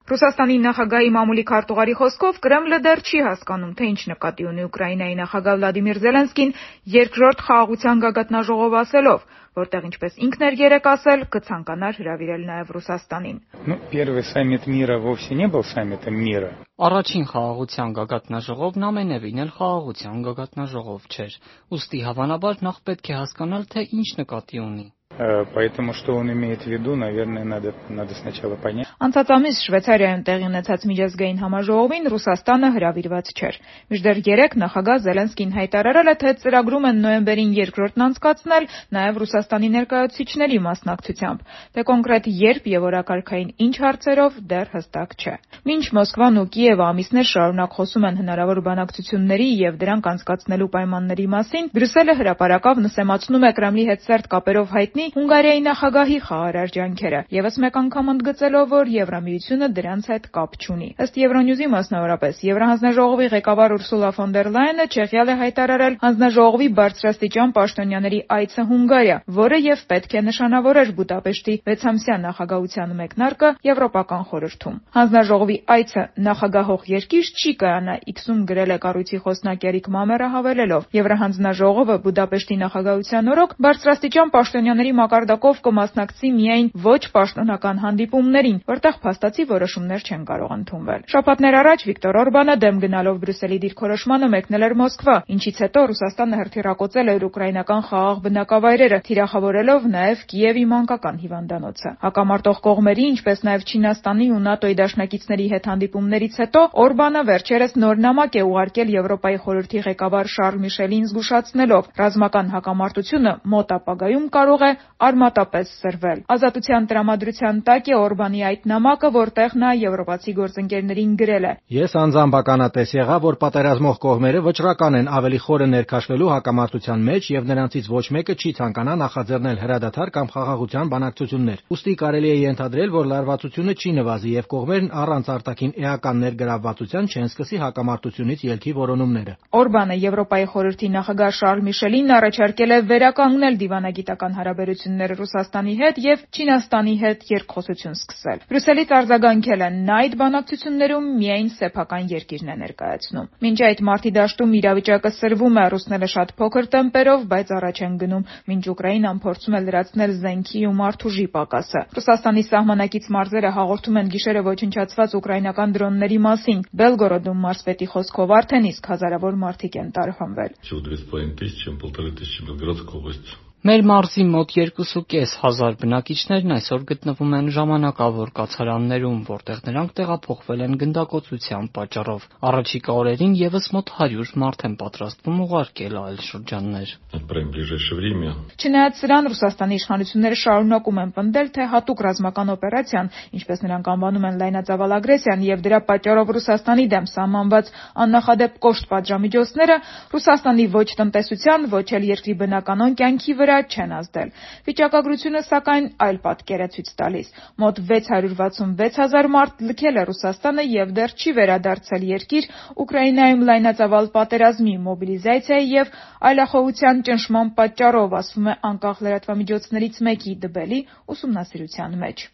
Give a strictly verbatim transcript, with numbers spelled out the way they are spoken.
Ռուսաստանի նախագահի մամուլի քարտուղարի խոսքով Կրեմլը դեռ չի հասկանում, թե ինչ նկատի ունի Ուկրաինայի նախագահ Վլադիմիր Զելենսկին երկրորդ խաղաղության գագաթնաժողով ասելով, որտեղ, ինչպես ինքն էր երեկ ասել, կցանկանար հրավիրել նաև Ռուսաստանին։ Առաջին խաղաղության գագաթնաժողովն ամենևին էլ խաղաղության գագաթնաժողով չէր, ուստի հավանաբար նախ պետք է հասկանալ, թե ինչ նկատի ունի։ Поэтому что он имеет в виду, наверное, надо, надо сначала понять. Անցած ամիս Շվեյցարիայում տեղի ունեցած միջազգային համաժողովին Ռուսաստանը հրավիրված չէր։ Մինչդեռ երեկ նախագահ Զելենսկին հայտարարել է, թե ծրագրում են նոյեմբերին երկրորդն անցկացնել նաև Ռուսաստանի ներկայացուցիչների մասնակցությամբ։ Թե կոնկրետ երբ եւ օրակարգային ինչ հարցերով դեռ հստակ չէ։ Մինչ Մոսկվան ու Կիևը ամիսներ շարունակ խոսում են հնարավոր բանակցությունների եւ դրանք անցկացնելու պայմանների մասին, Բրյուսելը հրապարակավ նսեմացնում է Կրեմլի հետ սերտ կապերով հայտնի Հունգարիայի նախագահի խաղաղարար ջանքերը, եւս մեկ անգամ ընդգծելով, որ Եվրամիությունը դրանց հետ կապ չունի։ Ըստ Եվրոնյուզի մասնավորապես, Եվրահանձնաժողովի ղեկավար Ուրսուլա ֆոն դեր Լայենը Չեխիալ է հայտարարել հանձնաժողովի բարձրաստիճան պաշտոնյաների այցը Հունգարիա, որը եւ պետք է նշանավորեր Բուդապեշտի վեցամսյա նախագահության մեկնարկը Եվրոպական խորհրդում։ Հանձնաժողովի այցը նախագահող երկիր չի կայանա, X-ում գրել է կառույցի խոսնակ Էրիկ Մամերը հավելելով. Եվրահանձնաժողովը Բուդապեշտի նախագահության օրոք բարձրաստիճան պաշտոնյաների մակարդակով կմասնակցի միայն ոչ պաշտոնական հանդիպումներին, որտեղ փաստացի որոշումներ չեն կարող ընդունվել։ Շաբաթներ առաջ Վիկտոր Օրբանը դեմ գնալով Բրյուսելի դիրքորոշմանը մեկնել էր Մոսկվա, ինչից հետո Ռուսաստանը հրթիռակոծել էր ուկրաինական խաղաղ բնակավայրերը, թիրախավորելով նաև Կիևի մանկական հիվանդանոցը։ Հակամարտող կողմերի, ինչպես նաև Չինաստանի ու ՆԱՏՕ-ի դաշնակիցների հետ հանդիպումներից հետո Օրբանը վերջերս նոր նամակ է ուղարկել Եվրոպայի խորհրդի ղեկավար Շարլ Միշելին զգուշացնելով, ռազմական հակամարտությունը մոտ ապագայում կարող է արմատապես սրվել։ Ազատության տրամադրության տակ է Օրբանի այդ նամակը, որտեղ նա եվրոպացի գործընկերներին գրել է. Ես անձամբ ականատես եղա, որ պատերազմող կողմերը վճռական են ավելի խորը ներքաշվելու հակամարտության մեջ եւ նրանցից ոչ մեկը չի ցանկանա նախաձեռնել հրադադար կամ խաղաղության բանակցություններ։ Ուստի կարելի է ենթադրել, որ լարվածությունը չի նվազի եւ կողմերն առանց արտաքին էական ներգրավվածության չեն սկսի հակամարտությունից ելքի որոնումները։ Օրբանը Եվրոպայի խորհրդի նախագահ Շարլ Միշելին առաջարկել է վերականգնել դիվանագիտական հարաբերությունները Ռուսաստանի հետ եւ Չինաստանի հետ երկխոսություն սկսել։ Բրյուսելից արձագանքել են, նա այդ բանակցություններում միայն սեփական երկիրն է ներկայացնում։ Մինչ այդ մարտի դաշտում իրավիճակը սրվում է, ռուսները շատ փոքր տեմպերով, բայց առաջ են գնում, մինչ Ուկրաինան փորձում է լրացնել զենքի ու մարդուժի պակասը։ Ռուսաստանի սահմանակից մարզերը հաղորդում են գիշերը ոչնչացված ուկրաինական դրոնների մասին։ Բելգորոդում մարզպետի խոսքով արդեն իսկ հազարավոր մարդիկ են տարհանվել։ Մեր մարզի մոտ երկուսուկես հազար բնակիչներն այսօր գտնվում են ժամանակավոր կացարաններում, որտեղ նրանք տեղափոխվել են գնդակոծության պատճառով։ Առաջիկա օրերին եւս մոտ հարյուր մարդ են պատրաստվում ուղարկել այլ շրջաններ։ Չնայած սրան, Ռուսաստանի իշխանությունները շարունակում են պնդել, թե հատուկ ռազմական օպերացիան, ինչպես նրանք անվանում են լայնածավալ ագրեսիան, եւ դրա պատճառով Ռուսաստանի դեմ սահմանված աննախադեպ կոշտ պատժամիջոցները Ռուսաստանի ոչ տնտեսության, ոչ էլ երկրի բնականon կյանքի վրա չեն ազդել։ Վիճակագրությունը սակայն այլ պատկեր է ցույց տալիս։ Մոտ վեց հարյուր վաթսունվեց հազար մարդ լքել է Ռուսաստանը եւ դեռ չի վերադարձել երկիր Ուկրաինայում լայնածավալ պատերազմի, մոբիլիզացիայի եւ այլախոհության ճնշման պատճառով, ասվում է անկախ լրատվամիջոցներից մեկի Դբելի ուսումնասիրության մեջ։